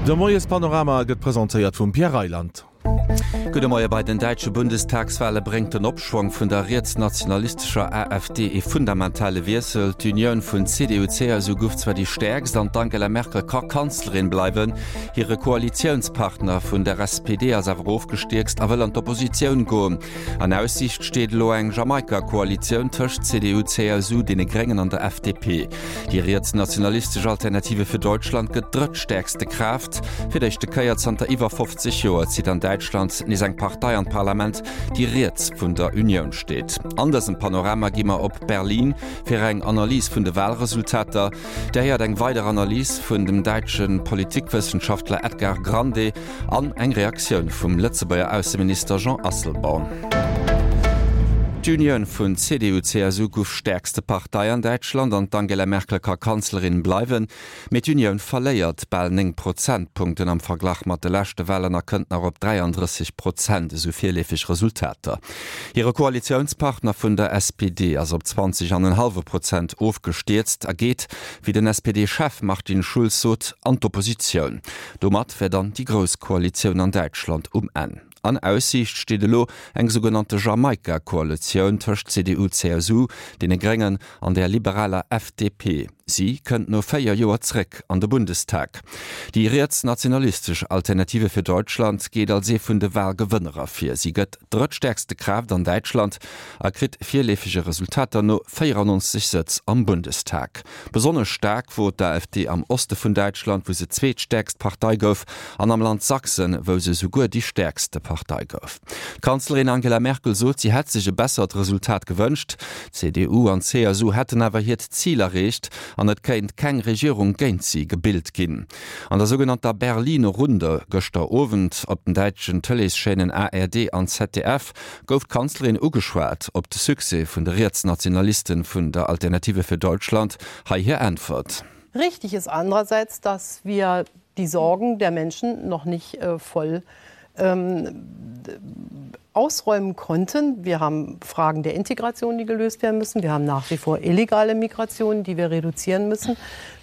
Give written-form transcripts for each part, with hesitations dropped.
De Moiespanorama gëtt presentéiert vum Pierre Reyland. Gudde Moie, Bei den däitsche Bundestagswale bréngt den Opschwong vun der rietsnationalistescher AfD ee fundamentale Wiessel. D'Unioun vun CDU-CSU guff zwar déi stäerkst an d'Angela Merkel ka Kanzlerin bleiwen. Hire Koalitiounspartner vun der SPD ass awer ofgestierkst a wëll an d'Oppositioun goen. An Aussiicht steet elo eng Jamaika-Koalitioun tëscht CDU, CSU, deene Gréngen an der FDP. Déi rietsnationalistesch Alternative für Deutschland gëtt drëttstäerkste Kraaft. Fir d'éischte Kéier zanter iwwer 50 Joer zitt an Däitschland nees eng Partei an d'Parlament, déi riets vun der Unioun steet. An dësem Panorama gi mer op Berlin fir eng Analys vun de Walresultater. Dir héiert eng weider Analys vun dem däitsche Politikwëssenschaftler Edgar Grande An eng Reaktioun vum Lëtzebuerger Ausseminister Jean Asselborn. D'Unioun vun CDU-CSU guff stäerkste Partei an Däitschland an d'Angela Merkel ka Kanzlerin bleiwen. Mee d'Unioun verléiert bal 9 Prozentpunkten am Verglach mat de leschte Walen a kënnt nach op 33 Prozent, esou virleefeg Resultater. Hire Koalitiounspartner vun der SPD ass op 20 an en hallwe Prozent ofgestierzt a geet, wéi den SPD-Chef Martin Schulz sot, an d'Oppositioun. Domat wär dann déi grouss Koalitioun an Däitschland um Enn. An Aussiicht steet elo eng sougenannte Jamaika-Koalitioun tëscht CDU-CSU, deene Gréngen an der liberaler FDP. Si kënnt no 4 Joer zréck an de Bundestag. Déi rietsnationalistesch Alternative für Deutschland geet als ee vun de Walgewënner ervir. Si gëtt drëttstäerkste Kraaft an Däitschland a kritt virleefege Resultater no 94 Sëtz am Bundestag. Besonnesch staark wor d'AfD am Oste vun Däitschland, wou se zweetstäerkst Partei gouf, an am Land Sachsen, wou se souguer déi stäerkste Partei gouf. D'Kanzlerin Angela Merkel sot, si hätt sech e bessert Resultat gewënscht. D'CDU an d'CSU hätten awer hiert Zil erreecht an et kéint keng Regierung géint si gebilt ginn. An der sougenannter Berliner Runde gëschter Owend op den däitschen Tëleeschaînen ARD an ZDF gouf d'Kanzlerin ugeschwat op de Succès vun de Rietsnationalisten vun der Alternative für Deutschland. Hei hir Äntwert. Richtig ist andererseits, dass wir die Sorgen der Menschen noch nicht äh, voll ähm, ausräumen konnten. Wir haben Fragen der Integration, die gelöst werden müssen. Wir haben nach wie vor illegale Migration, die wir reduzieren müssen.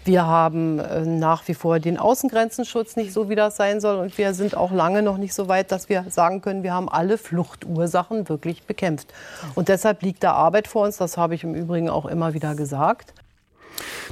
Wir haben äh, nach wie vor den Außengrenzenschutz nicht so, wie das sein soll. Und wir sind auch lange noch nicht so weit, dass wir sagen können, wir haben alle Fluchtursachen wirklich bekämpft. Und deshalb liegt da Arbeit vor uns. Das habe ich im Übrigen auch immer wieder gesagt.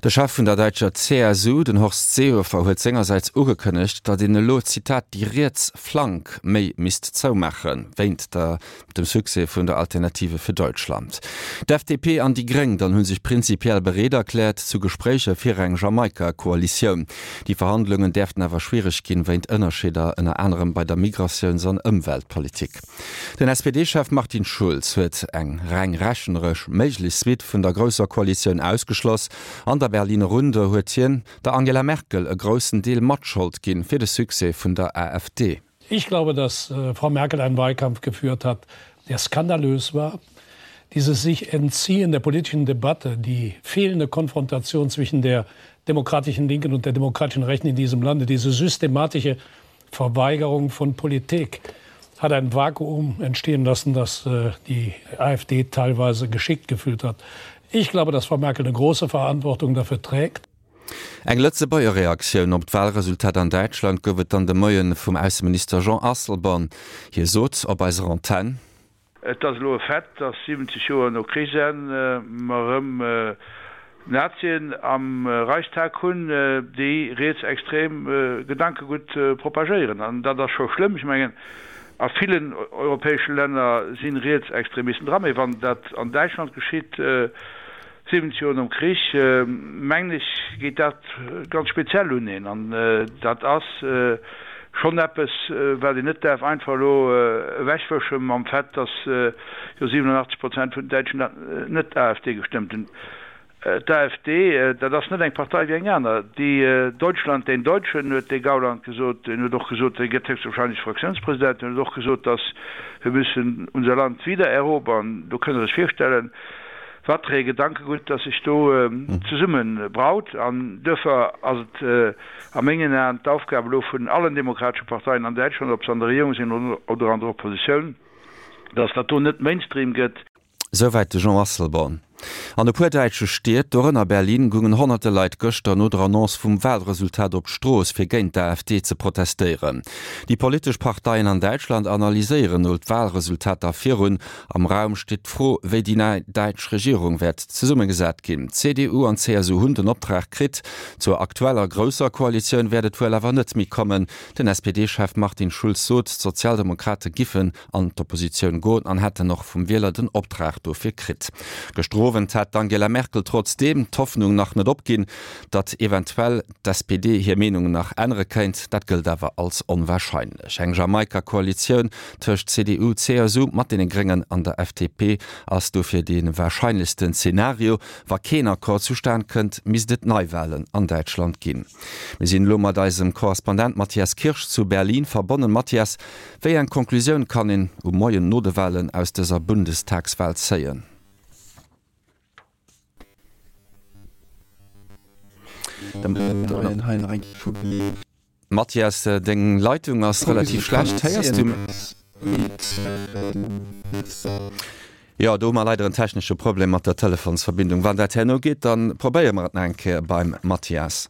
De Chef vun der däitscher CSU, den Horst Seehofer, huet sengersäits ugekënnegt, datt een elo, Zitat, déi riets Flank méi misst zoumaachen, wéint der dem Succès vun der Alternative für Deutschland. D'FDP an déi Gréng dann hu sech prinzipiell bereet erkläert zu Gespréicher fir eng Jamaika-Koalitioun. Déi Verhandlungen däerften awer schwiereg ginn, wéint Ënnerscheeder ënner anerem bei der Migratiouns an Ëmweltpolitik. Den SPD-Chef Martin Schulz huet eng reng rechneresch méiglech Suite vun der grousser Koalitioun ausgeschloss. An der Berliner Runde huet hien der Angela Merkel e groussen Deel Matschold ginn fir de Succès vun der AfD. Ich glaube, dass äh, Frau Merkel einen Wahlkampf geführt hat, der skandalös war. Dieses sich entziehen der politischen Debatte, die fehlende Konfrontation zwischen der demokratischen Linken und der demokratischen Rechten in diesem Lande, diese systematische Verweigerung von Politik hat ein Vakuum entstehen lassen, das äh, die AfD teilweise geschickt gefühlt hat. Ich glaube, dass Frau Merkel eine große Verantwortung dafür trägt. Eng Lëtzebuerger Reaktioun op d'Walresultat an Däitschland gouf et dann de Moie vum Ausseminister Jean Asselborn. Hie sot op eiser Antenn. Et ass elo e Fait, dass 70 Joer no Krichsenn mer erëm Nazien am Reichstag hunn, déi rietsextrem Gedankegutt propagéieren. An dat ass scho schlëmm. Ech mengen, a villen europäesche Länner si Rietsextremisten dran, mee wann dat an Däitschland geschitt, 70 Joer nom Krich, mengen ech, geet dat ganz speziell un een. An dat ass schonn eppes, wat een net däerf einfach elo ewechwësche mam Fait, datt jo 87 Prozent vun den Däitschen net AfD gestëmmt hunn. D'AfD, dat ass net eng Partei wéi eng aner. Déi Deutschland den Deutschen, huet de Gauland gesot. En huet och gesot, e gëtt héchstwahrscheinlech Fraktiounspresident. En huet och gesot, datt wir müssen unser Land wieder erobern. Do kënnt Der lech virstellen, Wat fir ee Gedankegutt, dass sech do zesumme braut. An duerfir ass et a mengen Aen d'Aufgab elo vun allen demokratesche Parteien an Däitschland, ob se an der Regierung sinn oder an der Oppositioun, dass dat do net Mainstream gëtt. Souwäit de Jean Asselborn. An e puer däitsche Stied, dorënner Berlin, goungen honnerte Leit gëschter no der Annonce vum Walresultat op d'Strooss, fir géint d'AfD ze protestéieren. Déi politesch Parteien an Däitschland analyséieren elo d'Walresultater virun. Am Raum steet d'Fro, wéi déi nei däitsch Regierung wäert zesummegesat ginn. CDU an CSU hunn den Optrag kritt. Zur aktueller grousser Koalitioun wäert et wuel awer net méi kommen. Den SPD-Chef Martin Schulz sot, d'Sozialdemokrate giffen an d'Oppositioun goen an hätten och vum Wieler den Optrag dofir kritt. Gëschter Owend hat d'Angela Merkel trotzdeem d'Hoffnung nach net opginn, datt eventuell d'SPD hir Meenung nach ännere kéint. Dat gëllt awer als onwarscheinlech. Eng Jamaika-Koalitioun tëscht CDU, CSU mat deene Gréngen an der FDP ass dofir dee warscheinlechsten Zenario. Wa keen Accord zustan kënnt, misst et Neiwalen an Däitschland ginn. Mir sinn elo mat eisem Korrespondent Matthias Kirsch zu Berlin verbonnen. Matthias, Wéi eng Conclusioun kann een um Moien no de Walen aus dëser Bundestagswal zéien? Mathias, deng Leitung ass relativ schlecht. Héiers du mech? Jo, do hu mer leider en technesche Problem mat der Telefonsverbindung. Wann dat herno geet, da probéiere mer et nach eng Kéier beim Mathias.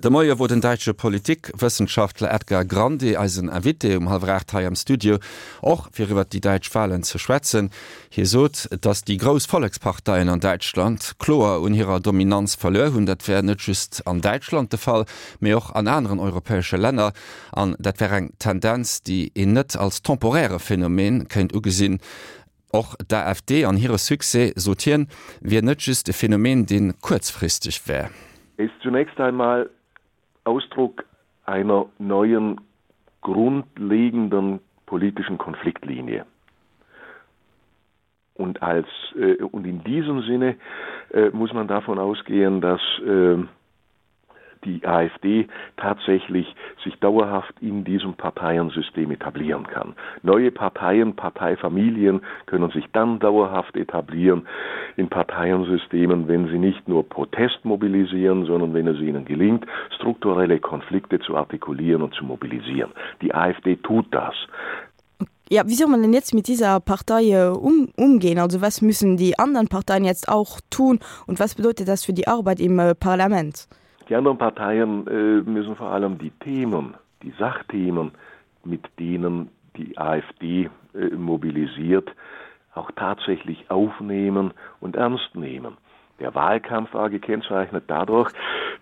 De Moie wor den däitsche Politikwëssenschaftler Edgar Grande eisen Invité um hallwer 8 hei am Studio, och fir iwwert déi däitsch Walen ze schwätzen. Hie sot, datt déi grouss Volleksparteien an Däitschland kloer un hirer Dominanz verluer hunn. Dat wär net just an Däitschland de Fall, mee och an aneren europäesche Länner. An dat wär eng Tendenz, déi een net als temporäre Phänomen kéint ugesinn. Och d'AfD an hire Succès, sot hien, wier net just e Phänomen, dee kuerzfristeg wär. Ist zunächst einmal Ausdruck einer neuen grundlegenden politischen Konfliktlinie. Und als äh, und in diesem Sinne äh, muss man davon ausgehen, dass äh, die AfD tatsächlich sich dauerhaft in diesem Parteiensystem etablieren kann. Neue Parteien, Parteifamilien können sich dann dauerhaft etablieren in Parteiensystemen, wenn sie nicht nur Protest mobilisieren, sondern wenn es ihnen gelingt, strukturelle Konflikte zu artikulieren und zu mobilisieren. Die AfD tut das. Ja, wie soll man denn jetzt mit dieser Partei äh, um, umgehen? Also was müssen die anderen Parteien jetzt auch tun und was bedeutet das für die Arbeit im äh, Parlament? Die anderen Parteien äh, müssen vor allem die Themen, die Sachthemen, mit denen die AfD äh, mobilisiert, auch tatsächlich aufnehmen und ernst nehmen. Der Wahlkampf war gekennzeichnet dadurch,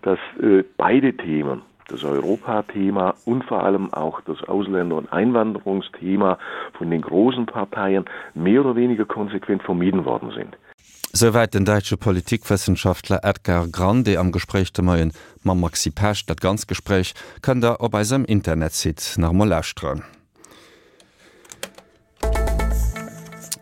dass äh, beide Themen, das Europathema und vor allem auch das Ausländer- und Einwanderungsthema von den großen Parteien mehr oder weniger konsequent vermieden worden sind. Souwäit den däitsche Politikwëssenschaftler Edgar Grande am Gespréich de Moien mam Maxi Pesch. Dat ganzt Gespréich kënnt der op eisem Internetsite nach emol lauschteren.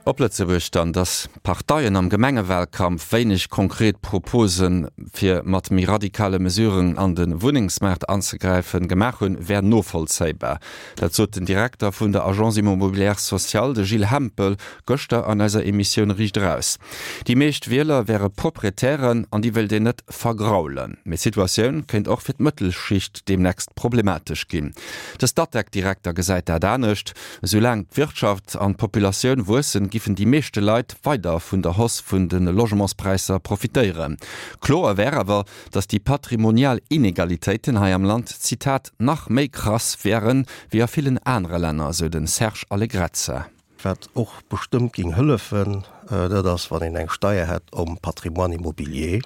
Op Lëtzebuerg dann, Datt d'Parteien am Gemengewalkampf wéineg konkret Proposen, fir mat méi radikale Mesuren an de Wunnengsmaart anzegräifen, gemaach hunn, wär novollzéibar. Dat sot den Direkter vun der Agence Immobilière Sociale, de Gilles Hempel, gëschter an eiser Emissioun Riicht Eraus. Déi meescht Wieler wäre Proprietären an déi wéilt een net vergraulen. Mee d'Situatioun kéint och fir d'Mëttelschicht deemnächst problematesch ginn. De Statec-Direkter gesäit dat anescht. Esoulaang d'Wirtschaft an d'Populatioun wuessen, giffen déi meeschte Leit weider vun der Hausse vun de Logementspräisser profitéieren. Kloer wär awer, datt déi patrimonial Inegalitéiten hei am Land, Zitat, nach méi krass wären, wéi a villen anere Länner, esou de Serge Allegrezza. Wat och bestëmmt géing hëllefen, dat ass, wann een eng Steier hätt om Patrimoine immobilier.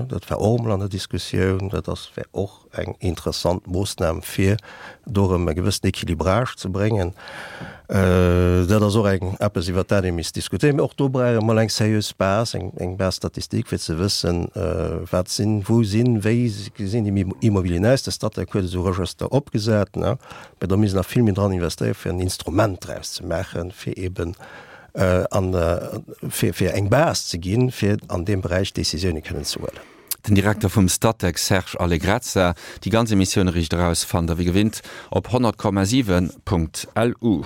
Dat war och emol an der Diskussioun. Dat ass, wär och eng interessant Moossnam, fir do erëm e gewëssen Équilibrage ze bréngen. Dat ass och eng, eppes, iwwert dat ee misst diskutéieren. Mee och do brauch ee mol eng seriös Base, eng, eng Base statistique, fir ze wëssen, wat sinn, wou sinn, wéi gesinn déi Immobilien aus. De Statec huet esou Regëster opgesat, ne? Mee do misst een nach vill méi dran investéieren, fir en Instrument draus ze maachen, fir eeben an, fir, fir eng Base ze ginn, fir an deem Beräich Décisioune kënnen ze huelen. Den Direkter vum Statec Serge Allegrezza. Déi ganz Emissioun Riicht Eraus fannt der wéi gewinnt op 100,7.lu.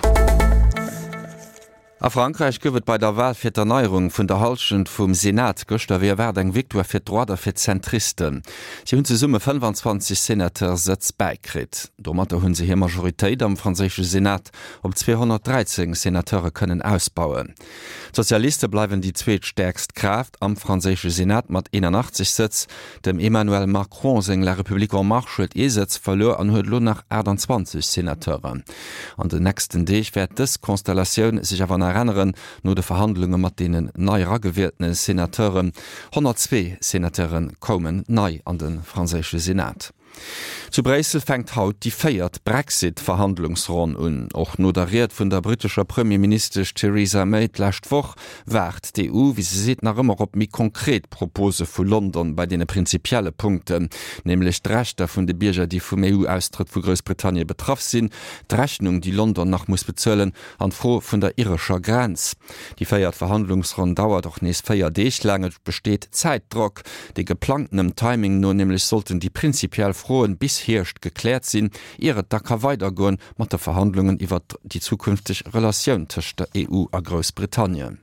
A Frankräich gouf et bei der Wal fir d'Erneierung vun der Hallschent vum Senat gëschter wéi erwaart eng Victoire fir d'Droite a fir d'Zentristen. Si hunn zesumme 25 Senateur-Sëtz bäikritt. Domatter hu se hir Majoritéit am franséische Senat op 213 Senateure kënnen ausbauen. D'Sozialiste bleiwen déi zweetstäerkst Kraaft am franséische Senat mat 81 Sëtz. Dem Emmanuel Macron seng La République en Marche huet ee Sëtz verluer an huet elo nach 28 Senateuren. An den nächsten Deeg wäert dës Konstellatioun sech awer nach änneren, no de Verhandlunge mat deenen nei eragewieltene Senateuren. 102 Senateure koumen nei an de franséische Senat. Zu Bréissel fänkt haut déi véiert Brexit-Verhandlungsronn un. Och no der Ried vun der brittescher Premierministesch Theresa May d'lescht Woch waart d'EU, wéi se seet, nach ëmmer op méi konkret Propose vu London bei deene prinzipielle Punkten, nämlech d'Rechter vun de Bierger, déi vum EU-Austrëtt vu Groussbritannien betraff sinn, d'Rechnung, déi London nach muss bezuelen, an d'Fro vun der irescher Grenz. Déi véiert Verhandlungsronn dauert och nees 4 Deeg laang. Et besteet Zäitdrock. De geplangtenem Timing no nämlech sollten déi prinzipiell Froen bis Hierscht gekläert sinn, ier et da ka weidergoen mat de Verhandlungen iwwert déi zukünfteg Relatioun tëscht der EU a Groussbritannien.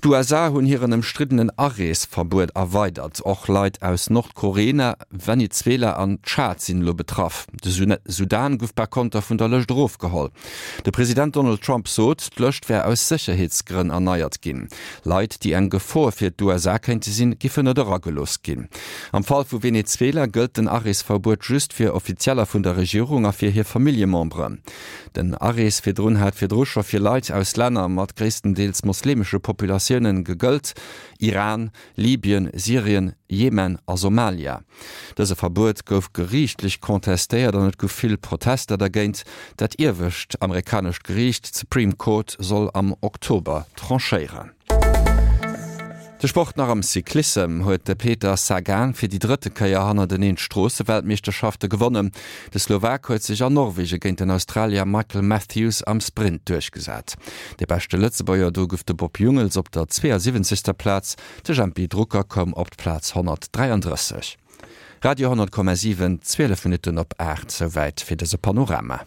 D'USA hunn hiren ëmstriddenen Areesverbuet erweidert. Och Leit aus Nordkorea, Venezuela an Tschad sinn elo betraff. De Sudan gouf par konter vun der Lëscht erofgeholl. De President Donald Trump sot, d'Lëscht wär aus Sécherheetsgrënn erneiert ginn. Leit, déi eng Gefor fir d'USA kéinte sinn, giffen net eragelooss ginn. Am Fall vu Venezuela gëllt den Areesverbuet just fir Offizieller vun der Regierung a fir hir Familljememberen. Den Arees virdrun hat virdru scho fir Leit aus Länner mat gréisstendeels moslemesche Populatioune gegëllt, Iran, Libyen, Syrien, Jemen a Somalia. Dëse Verbuet gouf geriichtlech contestéiert an et gouf vill Protester dergéint. Dat iewescht amerikanescht Geriicht, d'Supreme Court, soll am Oktober tranchéieren. De Sport nach Am Cyclissem huet de Peter Sagan fir déi drëtte Kéier hannerteneen d'Stroosseweltmeeschterschafte gewonnen. De Slowak huet sech an Norwege géint den Australier Michael Matthews am Sprint duerchgesat. De beschte Lëtzebuerger do gouf de Bob Jungels op der 72. Plaz, de Jempy Drucker koum op d'Plaz 133. Radio 10,7, 12 Minutten op 8, souwäit fir dëse Panorama.